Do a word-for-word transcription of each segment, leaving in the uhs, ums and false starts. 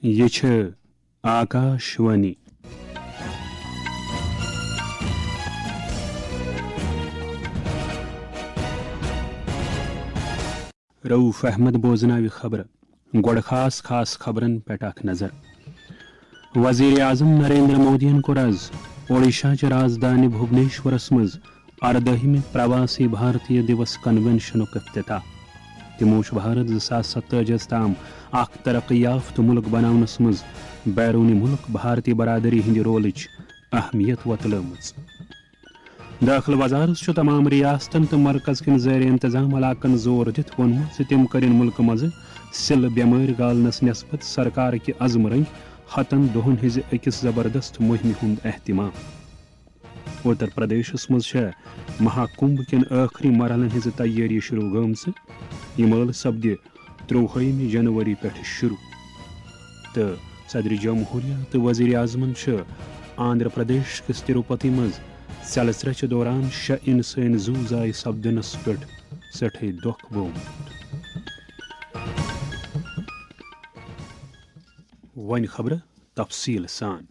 یہِ چھِ آکاشوانی۔ رؤف احمد بوزناوِ خبرٕ۔ گۄڈٕ خاص خاص خبرن پٮ۪ٹھ اکھ نظر۔ وزیر اعظم نریندر مودیَن کوٚر از اوڈیشہ چہِ رازدانہِ بھوبنیشورس منٛز اردٲہمہِ پرواسی بھارتیہ دیوس کنونشنُک افتتاح۔ تِمو چھُ بھارت زٕ ساس ستٲجی ہس تام اکھ ترقی یافتہٕ مُلک بناونس منٛز بیروٗنی مُلک بھارتی برادری ہٕنٛدِ رولٕچ اہمیت وۄتلٲومٕژ۔ دٲخلہٕ وزارت چھُ تمام ریاستن تہٕ مرکز کٮ۪ن زیر انتظام علاقن زور دِتھ ووٚنمُت زِ تِم کٔرِن مُلکہٕ منٛزٕ سِلہٕ بٮ۪مٲرۍ گالنس نٮ۪سبت سرکار کہِ عزمہٕ رٔنگۍ ہتن دۄہن ہٕنٛزِ أکِس زبردست مُہِمہِ ہُنٛد اہتمام۔ اُتر پردیشس منٛز چھےٚ مہا کُمبھ کٮ۪ن ٲخری مرحلن ہٕنٛزٕ تیٲری شروع گٔمژٕ۔ یہِ مٲلہٕ سپدِ ترٛۆوُہمہِ جنوری پٮ۪ٹھٕ شروع۔ تہٕ صدر جمہوریہ تہٕ وزیر اعظمن چھُ آندھرا پردیش کِس تروپتی منٛز ژٮ۪لہٕ ژرٛچہِ دوران شےٚ انسٲنی زُو ضایع سپدنس پٮ۪ٹھ سٮ۪ٹھے دۄکھ بوومُت۔ وۄنۍ خبرٕ تفصیٖل سان۔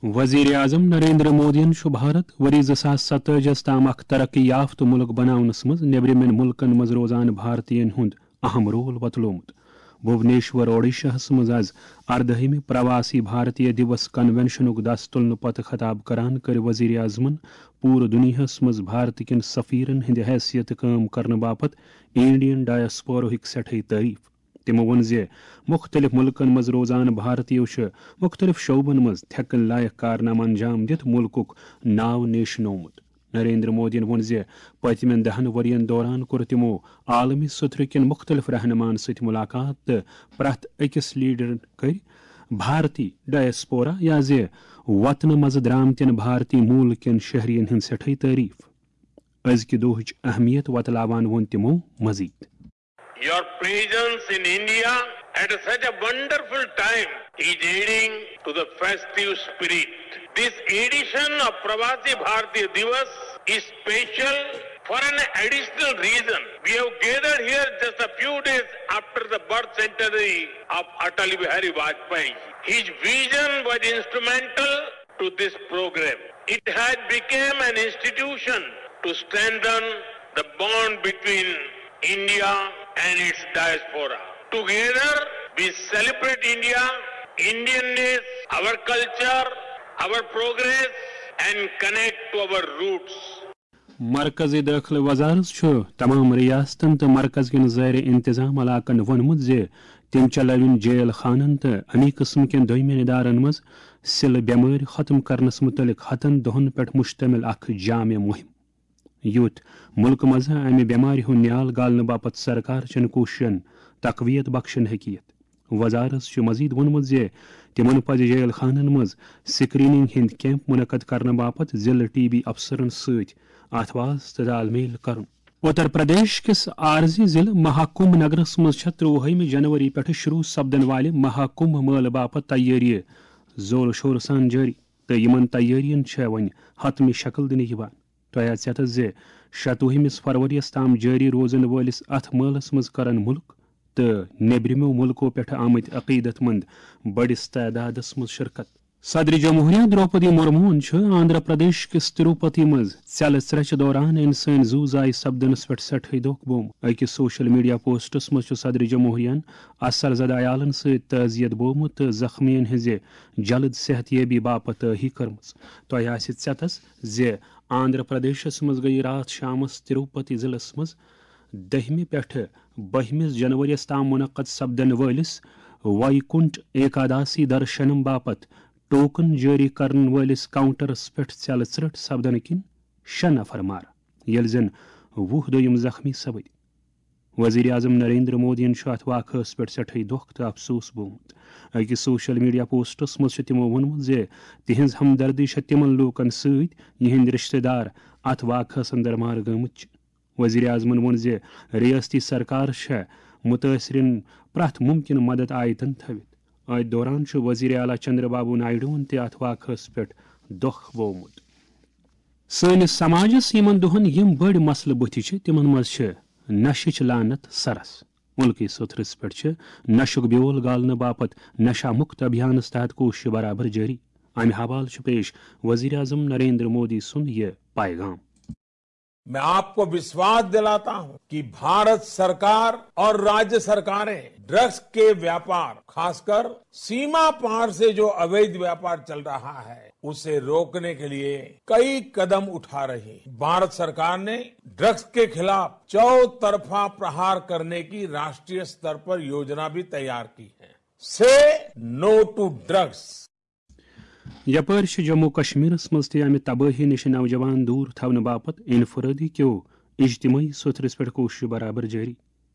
وزیر اعظم نریندر مودیَن چھُ بھارت ؤری زٕ ساس ستٲجی ہس تام اکھ ترقی یافتہٕ مُلک بناونس منٛز نیبرِمٮ۪ن مُلکن منٛز روزان بھارتین ہُنٛد اہم رول وۄتلومُت۔ بھوبنیشور، اوڈیشاہس منٛز از اردٲہمہِ پرواسی بھارتیہ دیوس کنونشنُک دس تُلنہٕ پتہٕ خطاب کران کٔر وزیر اعظمن پوٗرٕ دُنیاہس منٛز بھارت کٮ۪ن سفیرن ہٕنٛدِ حیثیتہٕ کٲم کرنہٕ باپتھ انڈین ڈایاسپورہٕکۍ سٮ۪ٹھے تعریف۔ تِمو ووٚن زِ مُختٔلِف مُلکَن منٛز روزان بھارتیو چھِ مُختٔلِف شعبن منٛز تھٮ۪کن لایق کارنامہٕ انجام دِتھ مُلکُک ناو نیشنومُت۔ نریندر مودیَن ووٚن زِ پٔتمٮ۪ن دَہَن ؤرین دوران کوٚر تِمو عالمی سطحٕ کٮ۪ن مُختٔلِف رہنماہن سۭتۍ مُلاقات تہٕ پرٛٮ۪تھ أکِس لیڈرن کٔرۍ بھارتی ڈایاسپورا یا زِ وطنہٕ منٛزٕ درٛامتٮ۪ن بھارتی موٗل کٮ۪ن شہرین ہٕنٛز سٮ۪ٹھے تعریف۔ أزکہِ دۄہٕچ اہمیت وۄتلاوان ووٚن تِمو مزید۔ Your presence in India at such a wonderful time is adding to the festive spirit. This edition of Pravasi Bharatiya Divas is special for an additional reason. We have gathered here just a few days after the birth centenary of Atal Bihari Vajpayee. His vision was instrumental to this program. It has become an institution to strengthen the bond between India and its diaspora. Together, we celebrate India, Indianness, our culture, our progress, and connect to our roots. مرکزی دٲخلہٕ وزارت چھُ تمام ریاستن تہٕ مرکز کٮ۪ن زیر انتظام علاقن ووٚنمُت زِ تِم چلاوٕنۍ جیل خانن تہٕ اَمی قٕسمہٕ کٮ۪ن دوٚیمٮ۪ن ادارن منٛز سِلہٕ بٮ۪مٲرۍ ختم کرنس مُتعلق ہتن دۄہن پٮ۪ٹھ مشتمل اکھ جامع مُہِم، یُتھ مُلکہٕ منٛز امہِ بٮ۪مارِ ہُنٛد نیال گالنہٕ باپتھ سرکار چٮ۪ن کوٗششن تقویت بخشن ہیٚکہِ یِتھ۔ وزارت چھُ مزید ووٚنمُت زِ تِمَن پَزِ جیل خانَن منٛز سکریننگ ہٕنٛدۍ کیمپ منعقد کرنہٕ باپتھ ضلع ٹی بی افسرَن سۭتۍ اَتھ واسطہٕ تال میل کرُن۔ اتر پردیش کِس عارضی ضلع مہاکمبھ نگرس منٛز چھےٚ ترٛۆوُہمہِ جنوری پٮ۪ٹھٕ شروع سپدن والہِ مہاکمبھ مٲلہٕ باپتھ تیٲری زور شور سان جٲری، تہٕ یِمَن تیٲرین چھےٚ وۄنۍ حتمی شکل دِنہٕ یِوان۔ تۄہہِ آسہِ یتس زِ شتوُہمِس فروریَس تام جٲری روزن وٲلِس اتھ مٲلس منٛز کرن مُلک تہٕ نیبرِمو مُلکو پٮ۪ٹھٕ آمٕتۍ عقیدت مند بٔڑِس تعدادس منٛز شرکت۔ صدر جمہوریہ درٛوپدی مرموہن چھُ آندھرا پردیش کِس تروپتی منٛز ژٮ۪لہٕ ژرٛچہِ دوران انسٲنی زُو ضایع سپدنس پٮ۪ٹھ سٮ۪ٹھٕے دۄکھ بوومُت۔ أکِس سوشل میڈیا پوسٹس منٛز چھُ صدر جمہوریہن اثر زدہ عیالن سۭتۍ تعزیت بوومُت تہٕ زخمیَن ہٕنٛزِ جلد صحت یٲبی باپتھ دٲہی کٔرمٕژ۔ تۄہہِ آسہِ ژٮ۪تس زِ آندھرا پردیشس منٛز گٔیہِ راتھ شامس تروپتی ضلعس منٛز دٔہمہِ پٮ۪ٹھٕ بٔہمِس جنوریَس تام منعقد سپدن وٲلِس وایکُنٹھ ایکاداسی درشنم باپتھ ٹوکن جٲری کرن وٲلِس کاؤنٹرس پٮ۪ٹھ ژٮ۪لہٕ ژرٛٹھ سپدنہٕ کِنۍ شےٚ نفر مارٕ، ییٚلہِ زن وُہ دوٚیِم زخمی سپٕدۍ۔ وزیر اعظم نریندر مودیَن چھُ اتھ واقعس پٮ۪ٹھ سٮ۪ٹھٕے دۄکھ تہٕ افسوس بوومُت۔ أکِس سوشل میڈیا پوسٹس منٛز چھُ تِمو ووٚنمُت زِ تِہنٛز ہمدردی چھےٚ تِمن لوٗکن سۭتۍ، یِہنٛدۍ رشتہٕ دار اتھ واقعس اندر مارٕ گٲمٕتۍ چھِ۔ وزیر اعظمن ووٚن زِ ریاستی سرکار چھےٚ مُتٲثرین پرٛٮ۪تھ مُمکِن مدد آیتن تھٲوِتھ۔ أتھۍ دوران چھُ وزیر اعلیٰ چندر بابو نائیڈوَن تہِ اتھ واقعس پٮ۪ٹھ دۄکھ ووٚومُت۔ سٲنِس سماجس یِمن دۄہن یِم بٔڑۍ مسلہٕ بُتھِ چھِ، تِمن منٛز چھِ نشٕچ لعنت سرس، مُلکٕچ سوٚتھرِس پٮ۪ٹھ چھِ نشُک بیول گالنہٕ باپتھ نشہ مُکت ابھیانَس تحت کوٗشش برابر جٲری۔ امہِ حوالہٕ چھُ پیش وزیر اعظم نریندر مودی سُنٛد یہِ پیغام۔ मैं आपको विश्वास दिलाता हूं कि भारत सरकार और राज्य सरकारें ड्रग्स के व्यापार, खासकर सीमा पार से जो अवैध व्यापार चल रहा है, उसे रोकने के लिए कई कदम उठा रही है। भारत सरकार ने ड्रग्स के खिलाफ चौतरफा प्रहार करने की राष्ट्रीय स्तर पर योजना भी तैयार की है। से नो टू ड्रग्स। یپٲرۍ چھِ جموں کشمیرس منٛز تہِ امہِ تبٲہی نِش نوجوان دوٗر تھاونہٕ باپتھ انفرادی کیو اجتماعی سوٚتھرِس پٮ۪ٹھ کوٗشش برابر جٲری۔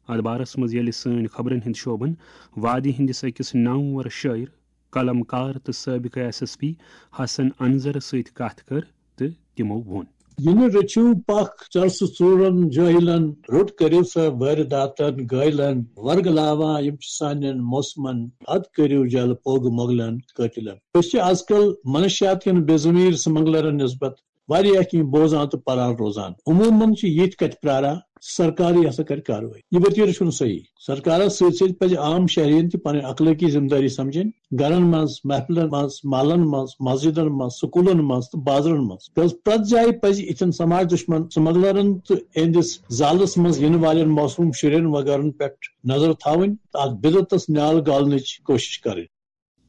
اتھ بارس منٛز ییٚلہِ سٲنۍ خبرن ہٕنٛدۍ شعبن وادی ہٕنٛدِس أکِس نامور شٲعر، قلم کار تہٕ سٲبقہٕ ایس ایس پی حسن انظر سۭتۍ کتھ کٔر تہٕ تِمو ووٚن۔ یہِ نہٕ رٔچھِو پکھ چرسہٕ ژوٗرن جٲہِلن، روٚٹ کٔرِو سا وٲرِداتن گٲلن، ورگلاوان یِم چھِ سانٮ۪ن موسمن، حد کٔرِو جل پوگہٕ مۄغلن قٲتِلن۔ أسۍ چھِ از کل منشیات کٮ۪ن بے ضمیٖر سمگلرن نسبت واریاہ کینٛہہ بوزان تہٕ پران روزان۔ عموماً چھِ ییٚتہِ کتہِ پراران سرکارٕے ہسا کرِ کاروٲیی۔ یہِ ؤتیرٕ چھُنہٕ صحیح۔ سرکارس سۭتۍ سۭتۍ پزِ عام شہرین تہِ پنٕنۍ اخلٲقی ذمہٕ دٲری سمجھٕنۍ۔ گرن منٛز، محفلن منٛز، محلن منٛز، مسجدن منٛز، سکولن منٛز تہٕ بازرن منٛز۔ کیازِ پرٛٮ۪تھ جایہِ پزِ یِتھٮ۪ن سماج دشمن سمگلرن تہٕ اہندِس زالس منٛز ینہٕ والٮ۪ن معصوم شُرٮ۪ن وغٲرن پٮ۪ٹھ نظر تھاوٕنۍ تہٕ اتھ بدعتس نیال گالنٕچ کوشش کرٕنۍ۔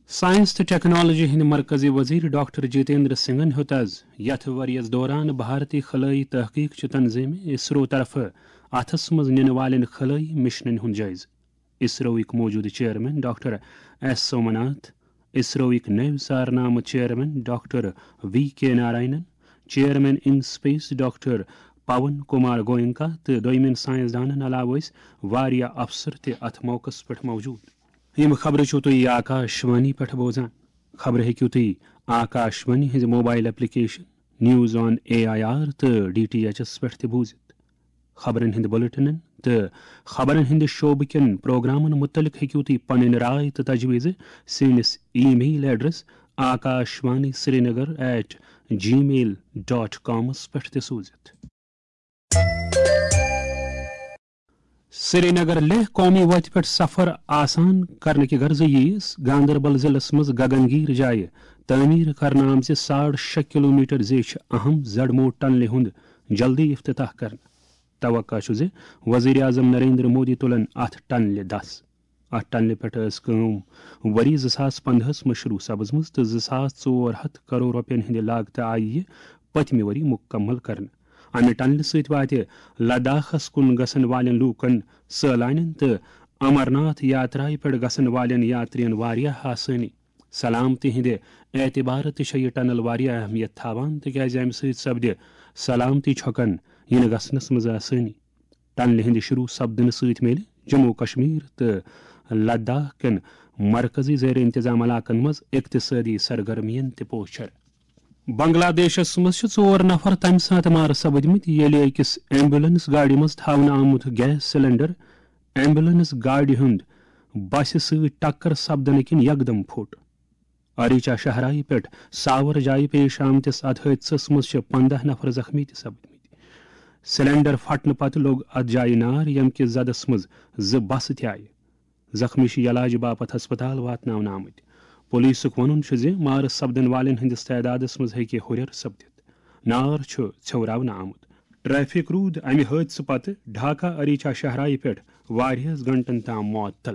ساینس تہٕ ٹیکنالوجی ہٕنٛدۍ مرکزی وزیر ڈاکٹر جتیندر سنگھن ہیوٚت از یتھ ؤرۍ یَس دوران بھارتی خلٲیی تحقیق چہِ تنظیمہِ اسرو طرفہٕ اتھس منٛز نِنہٕ والٮ۪ن خلٲیی مشنن ہُنٛد جٲیزٕ۔ اسروٕکۍ موجودٕ چیئرمین ڈاکٹر ایس سومناتھ، اسروٕکۍ نٔوۍ سارنامہٕ chairman doctor V K Narayanan, chairman in space doctor Pawan Kumar Goenka تہٕ دوٚیمٮ۪ن ساینسدانن علاوٕ ٲسۍ واریاہ افسر تہِ اتھ موقعس پٮ۪ٹھ موجود۔ یِم خبرٕ چھِو تُہۍ آکاش وانی پٮ۪ٹھ بوزان۔ خبرٕ ہیٚکِو تُہۍ آکاش وانی ہٕنٛزِ mobile application news on A I R تہٕ ڈی ٹی ایچ ایس پٮ۪ٹھ تہِ بوٗزِتھ۔ خبرن ہٕنٛدۍ بلیٹنن تہٕ خبرن ہٕنٛدِ شعبہٕ کٮ۪ن پروگرامن مُتعلق ہیٚکِو تُہۍ پنٕنۍ راے تہٕ تجویٖزٕ سٲنِس email address Akash Vani Srinagar at Gmail dot کامس پٮ۪ٹھ تہِ سوٗزِتھ۔ سرینگر لیہہ قومی وتہِ پٮ۪ٹھ سفر آسان کرنہٕ کہِ غرضہٕ ییٖس گاندربل ضلعس منٛز گگن گیٖر جایہِ تعمیٖر کرنہٕ آمژِ ساڑ شےٚ کلومیٹر زیچھِ اہم زڈمو ٹنلہِ ہُنٛد جلدی افتتاح کرنہٕ۔ توقع چھُ زِ وزیر اعظم نریندر مودی تُلن اتھ ٹنلہِ دس۔ اتھ ٹنلہِ پٮ۪ٹھ ٲس کٲم ؤری زٕ ساس پندہس منٛز شروع سپٕزمٕژ تہٕ زٕ ساس ژور ہتھ کرور رۄپین ہٕنٛدِ لاگتہٕ آیہِ یہِ پٔتمہِ ؤری مُکمل کرنہٕ۔ امہِ ٹنلہِ سۭتۍ واتہِ لداخس کُن گژھن والٮ۪ن لوٗکن، سٲلانٮ۪ن تہٕ امرناتھ یاترایہِ پٮ۪ٹھ گژھن والٮ۪ن یاترین واریاہ آسٲنی۔ سلامتی ہٕنٛدِ اعتبارٕ تہِ چھےٚ یہِ ٹنل واریاہ اہمیت تھاوان، تِکیازِ امہِ سۭتۍ سپدِ سلامتی چھۄکن یِنہٕ گژھنس منٛز آسٲنی۔ ٹنلہِ ہٕنٛدِ شروع سپدنہٕ سۭتۍ میلہِ جموں و کشمیر تہٕ لداخ کٮ۪ن مرکزی زیر انتظام علاقن منٛز اقتصٲدی سرگرمین تہِ پوچھر۔ بنگلہ دیشس منٛز چھِ ژور نفر تمہِ ساتہٕ مارٕ سپٕدمٕتۍ، ییٚلہِ أکِس ایمبولینس گاڑِ منٛز تھاونہٕ آمُت گیس سلنڈر ایمبولینس گاڑِ ہُنٛد بسہِ سۭتۍ ٹکر سپدنہٕ کِنۍ یکدم پھوٚٹ۔ اریچا شہرایہِ پٮ۪ٹھ ساور جایہِ پیش آمتِس اتھ حٲدثس منٛز چھِ پندہ نفر زخمی تہِ سپدمٕتۍ۔ سلنڈر پھٹنہٕ پتہٕ لوٚگ اتھ جایہِ نار، ییٚمہِ کِس زدس منٛز زٕ بسہٕ تہِ آیہِ۔ زخمی چھِ علاج باپتھ ہسپتال واتناونہٕ آمٕتۍ۔ پولیسُک وَنُن چھُ زِ مارٕ سپدن والٮ۪ن ہٕنٛدِس تعدادَس منٛز ہیٚکہِ ہُرٮ۪ر سپدِتھ۔ نار چھُ ژھیوراونہٕ آمُت۔ ٹریفک روٗد اَمہِ حٲدثہٕ پتہٕ ڈھاکہ اریچا شہرایہِ پٮ۪ٹھ واریاہَس گھنٹَن تام معطل۔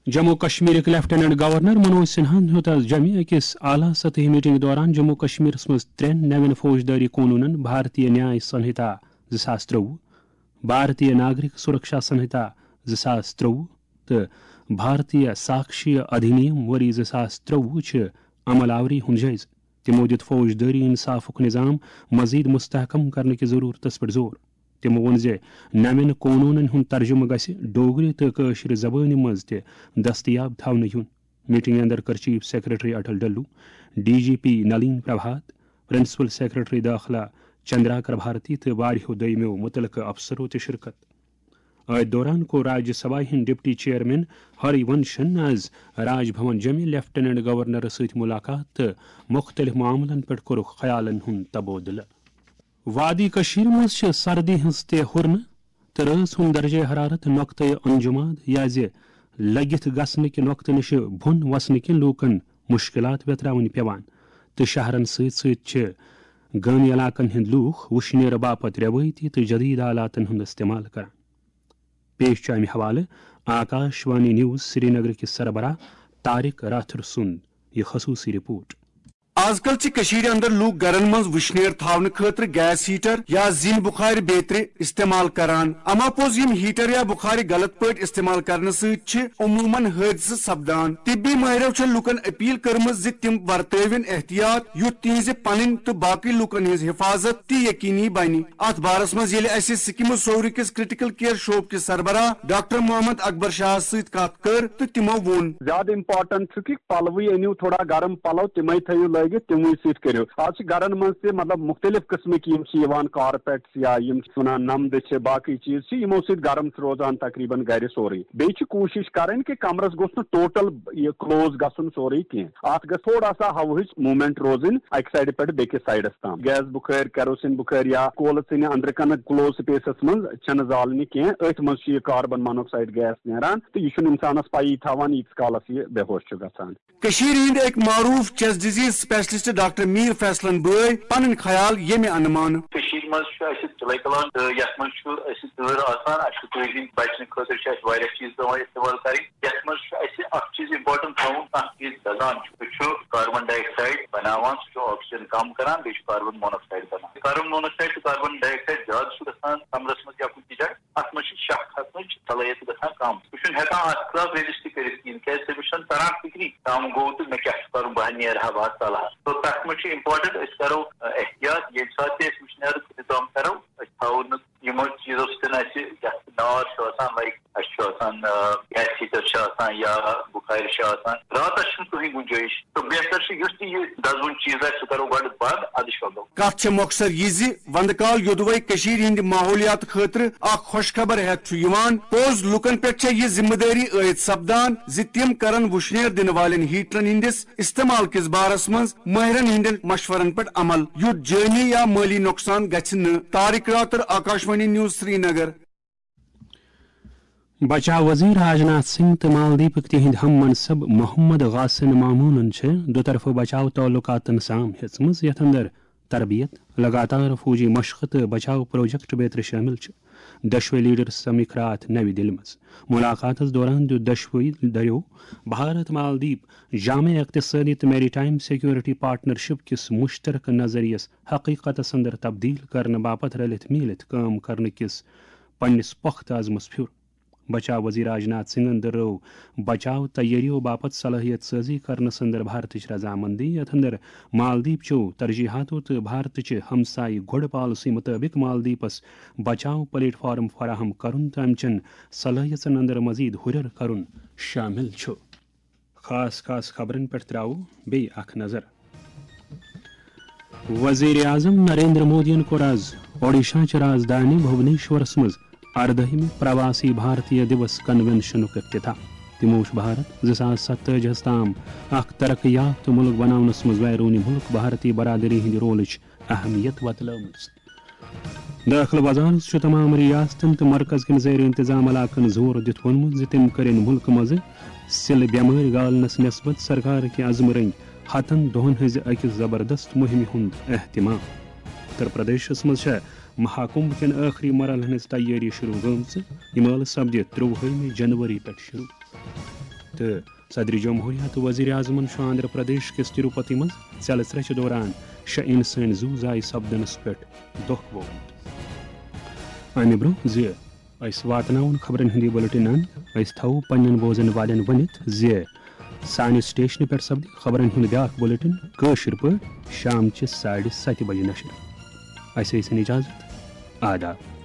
جموں کشمیرٕکۍ لیفٹیننٹ گورنر منوج سنہاہن ہیوٚت از جوٚمہِ أکِس اعلیٰ سطحی میٹنگ دوران جموں کشمیرس منٛز ترٛٮ۪ن نوٮ۪ن فوجدٲری قونوٗنن، بھارتیہ نیاے سنہتا زٕ ساس ترٛۆوُہ، بھارتیہ ناگرک سرکشا سنہتا زٕ ساس ترٛۆوُہ، تہٕ بھارتیہ ساکشیہ ادھینیم ؤری زٕ ساس ترٛۆوُہ چہِ عمل آوری ہُنٛد جٲیزٕ۔ تِمو دِیُت فوجدٲری انصافُک نظام مزید مستحکم کرنہٕ کِس ضروٗرتس پٮ۪ٹھ زور۔ تِمو ووٚن زِ نوٮ۪ن قونوٗنن ہُنٛد ترجمہٕ گژھِ ڈوگری تہٕ کٲشرِ زبٲنہِ منٛز تہِ دستیاب تھاونہٕ یُن۔ میٹنگہِ اندر کٔر chief secretary Atal Dulloo, D G P Nalin Prabhat, principal secretary داخلہ چندراکر بھارتی تہٕ واریاہو دوٚیمٮ۪و مُتعلقہٕ افسرو تہِ شرکت۔ أتھۍ دوران کوٚر راجیہ سبھایہ ہٕنٛدۍ ڈپٹی چیئرمین ہری ونشن از راج بھون جوٚمہِ لیفٹیننٹ گورنرس سۭتۍ ملاقات تہٕ مُختٔلِف معاملن پٮ۪ٹھ کوٚرُکھ خیالن ہُنٛد تبادلہٕ۔ وادی کٔشیٖرِ منٛز چھِ سردی ہٕنٛز تہِ ہُرنہٕ۔ تہٕ رٲژ ہُنٛد درجہ حرارت نۄقطہٕ انجماد یا زِ لٔگِتھ گژھنہٕ کہِ نۄقطہٕ نِش بۄن وسنہٕ کِنۍ لوٗکن مُشکِلات ویتراوٕنۍ پٮ۪وان، تہٕ شہرن سۭتۍ سۭتۍ چھِ گٲمی علاقن ہٕنٛدۍ لوٗکھ وُشنیرٕ باپتھ رٮ۪وٲیتی تہٕ جدید آلاتن ہُنٛد استعمال کران۔ پیش چھُ امہِ حوالہٕ آکاش وانی نیوز سرینگر کِس سربراہ طارق راتھر سُنٛد یہِ خصوٗصی رپورٹ۔ آز کل چھِ کٔشیٖرِ اندر لوٗکھ گرن منٛز وٕشنیر تھاونہٕ خٲطرٕ گیس ہیٹر یا زِنۍ بُخارِ بیترِ استعمال کران۔ اما پوٚز، یِم ہیٹر یا بُخارِ غلط پٲٹھۍ استعمال کرنہٕ سۭتۍ چھِ عموٗماً حٲدثہٕ سپدان۔ طبی مٲہرو چھےٚ لوٗکن اپیل کٔرمٕژ زِ تِم ورتٲوِن احتیاط، یُتھ تِہنٛزِ پنٕنۍ تہٕ باقٕے لوٗکن ہٕنٛز حفاظت تہِ یقینی بنہِ۔ اتھ بارس منٛز ییٚلہِ اسہِ سکمز سوری کِس کرٹیکل کیئر شعبہٕ کِس سربراہ ڈاکٹر محمد اکبر شاہس سۭتۍ کتھ کٔر تہٕ تِمو ووٚن۔ زیادٕ امپورٹنٹ چھُ کہِ پلوٕے أنِو تھوڑا گرم پلو، تِمے تھٲیِو لٲگِتھ، تِموٕے سۭتۍ کٔرِو۔ آز چھِ گرن منٛز تہِ مطلب مُختٔلِف قٕسمٕکۍ یِم چھِ یِوان، کارپیٹس یا یِم چھِ وَنان نَمدٕ چھِ، باقٕے چیٖز چھِ، یِمو سۭتۍ گرم چھُ روزان تقریباً گرِ سورُے۔ بیٚیہِ چھِ کوٗشِش کرٕنۍ کہِ کمرس گوٚژھ نہٕ ٹوٹل یہِ کلوز گژھُن سورُے کینٛہہ، اتھ گژھِ تھوڑا سا ہوہٕچ موٗمینٹ روزٕنۍ اکہِ سایڈٕ پٮ۪ٹھ بیٚکِس سایڈس تام۔ گیس بُخٲرۍ، کیروسین بُخٲرۍ یا کولہٕ ژِنہِ أنٛدرٕ کنہٕ کلوز سپیسس منٛز چھنہٕ زالنہِ کینٛہہ، أتھۍ منٛز چھُ یہِ کاربن مونوکسائیڈ گیس نیران تہٕ یہِ چھُنہٕ انسانس پَیی تھاوان ییٖتِس کالس یہِ بے ہوش چھُ گژھان۔ کٔشیٖرِ ہٕنٛدۍ أکۍ معروٗف chest disease specialist doctor Mir فیصلن بٲے پنٕنۍ خیال ییٚمہِ انہٕ مان۔ کٔشیٖرِ منٛز چھُ اَسہِ چِلَے کلان تہٕ یَتھ منٛز چھُ اَسہِ تۭر آسان، اَسہِ چھُ تۭرِ ہٕنٛدۍ بچنہٕ خٲطرٕ چھِ اَسہِ واریاہ چیٖز پٮ۪وان استعمال کَرٕنۍ۔ یَتھ منٛز چھُ اَسہِ اَکھ چیٖز important تھاوُن، کانٛہہ چیٖز دَزان چھُ، سُہ چھُ کاربن ڈاے آکسایڈ بناوان، سُہ چھُ آکسیجن کم کران، بیٚیہِ چھُ کاربن مونوکسائیڈ بناوان۔ کاربن مونوکسائیڈ تہٕ کاربن ڈاے آکسایڈ زیادٕ چھُ گژھان کمرس منٛز یا کُنہِ تہِ جایہِ، اتھ منٛز چھِ شاہ کھسنٕچ صلٲحیت گژھان کم۔ سُہ چھُنہٕ ہٮ۪کان اتھ خلاف ریزسٹ کٔرِتھ کِہیٖنۍ، کیازِ تٔمِس چھُنہٕ تران فِکری کم گوٚو تہٕ مےٚ کیٛاہ چھُ کرُن، بہٕ ہا نیرٕ ہا، بہٕ ہا ژلہٕ ہا۔ تو تتھ منٛز چھُ important أسۍ کرو، ٲں، احتیاط، ییٚمہِ ساتہٕ تہِ أسۍ وٕشنیرُک انتظام کرو، أسۍ تھاوو نہٕ یِمو چیٖزو سۭتۍ اَسہِ یَتھ نار چھُ آسان، لایک اَسہِ چھُ آسان، آ، گیس ہیٖٹر چھُ آسان یا بُخارِ چھُ آسان، راتَس چھُنہٕ کٕہٕنۍ گُنجٲیِش۔ تہٕ بہتر چھُ یُس تہِ یہِ دَزوُن چیٖز آسہِ، سُہ کَرو گۄڈٕ بنٛد، اَدٕ شۄنٛگو۔ کتھ چھےٚ مۄخصر یہِ زِ وندٕ کال یوٚدوَے کٔشیٖرِ ہٕنٛدِ ماحولیات خٲطرٕ اکھ خۄشخبر ہٮ۪تھ چھُ یِوان، پوٚز لُکن پٮ۪ٹھ چھےٚ یہِ ذمہٕ دٲری عٲید سپدان زِ تِم کرن وُشنیر دِنہٕ والٮ۪ن ہیٹرن ہٕنٛدِس استعمال کِس بارس منٛز مٲہرن ہٕنٛدٮ۪ن مشورن پٮ۪ٹھ عمل، یُتھ جٲنی یا مٲلی نۄقصان گژھِ نہٕ۔ طارق راتر، آکاشوانی نیوز، سرینگر۔ بچاو وزیر راجناتھ سنگھ تہٕ مالدیپٕکۍ تِہنٛدۍ ہم منصب محمد غاسن مامونن چھِ دُطرفہٕ بچاو تعلقاتن سام ہیژمٕژ، یتھ اندر تربیت، لگاتار فوجی مشقہٕ تہٕ بچاو پروجیکٹ بیترِ شٲمِل چھِ۔ دۄشوے لیڈر سمکھ راتھ نَوِ دِلہِ منٛز۔ ملاقاتس دوران دیُت دۄشوے دٔریو بھارت مالدیپ جامع اقتصٲدی تہٕ میری ٹائم سیکورٹی پارٹنرشپ کِس مشترکہٕ نظریس حقیقتس اندر تبدیل کرنہٕ باپتھ رلِتھ میٖلِتھ کٲم کرنہٕ کِس پننِس پۄختہٕ عزمس پھیُر۔ بچاو وزیر راجناتھ سنگھن دۄہرٲو بچاو تیٲرِیو باپتھ صلٲحیت سٲزی کرنس اندر بھارتٕچ رضامندی، یتھ اندر مالدیپ چیو ترجیحاتو تہٕ بھارتٕچہِ ہمسایہِ گۄڈٕ پالیسی مطٲبق مالدیپس بچاو پلیٹ فارم فراہم کرُن تہٕ امہِ چٮ۪ن صلٲحیژن اندر مزید ہُرٮ۪ر کرُن شٲمِل چھُ۔ خاص خاص خبرن پٮ۪ٹھ تراوو بیٚیہِ اکھ نظر۔ وزیر اعظم نریندر مودیَن کوٚر آز اوڈیشہ چہِ راجدھانی بھونیشورس منٛز اردٲہمہِ پرواسی بھارتیہ دیوس کنونشنُک افتتاح۔ تِمو وُچھ بھارت زٕ ساس ستٲجی ہس تام اکھ ترقی یافتہٕ مُلک بناونس منٛز بیرونی مُلک بھارتی برادری ہٕنٛدِ رولٕچ اہمیت وۄتلٲومٕژ۔ دٲخلہٕ وزارت چھُ تمام ریاستن تہٕ مرکز کٮ۪ن زیر انتظام علاقن زور دِتھ ووٚنمُت زِ تِم کٔرِن مُلکہٕ منٛزٕ سِلہٕ بٮ۪مٲرۍ گالنس نسبت سرکار کہِ عزمہٕ رٔنگۍ ہتن دۄہن ہٕنٛزِ أکِس زبردست مُہِمہِ ہُنٛد اہتمام۔ اُتر پردیشس منٛز چھےٚ مہاکُمبھ کٮ۪ن ٲخری مرحلن ہٕنٛز تیٲری شروع گٔمٕژ۔ یہِ مٲلہٕ سپدِ ترٛۆوُہمہِ جنوری پٮ۪ٹھ شروع۔ تہٕ صدر جمہوریہ تہٕ وزیر اعظمن چھُ آندھرا پردیش کِس تروپتی منٛز ژیلہٕ ژرٛچہِ دوران شےٚ انسٲنۍ زُو ضایع سپدنس پٮ۪ٹھ دۄکھ ووٚنمُت۔ امہِ برٛونٛہہ زِ أسۍ واتناوون خبرن ہُنٛد یہِ بُلٹن اند، أسۍ تھاوو پننٮ۪ن بوزن والٮ۪ن ؤنِتھ زِ سانہِ سٹیشنہٕ پٮ۪ٹھ سپدِ خبرن ہُنٛد بیٛاکھ بُلٹن کٲشِر پٲٹھۍ شامچہِ ساڑِ ستہِ بجہِ نشر۔ اسہِ ٲسِن اجازت۔ آداب۔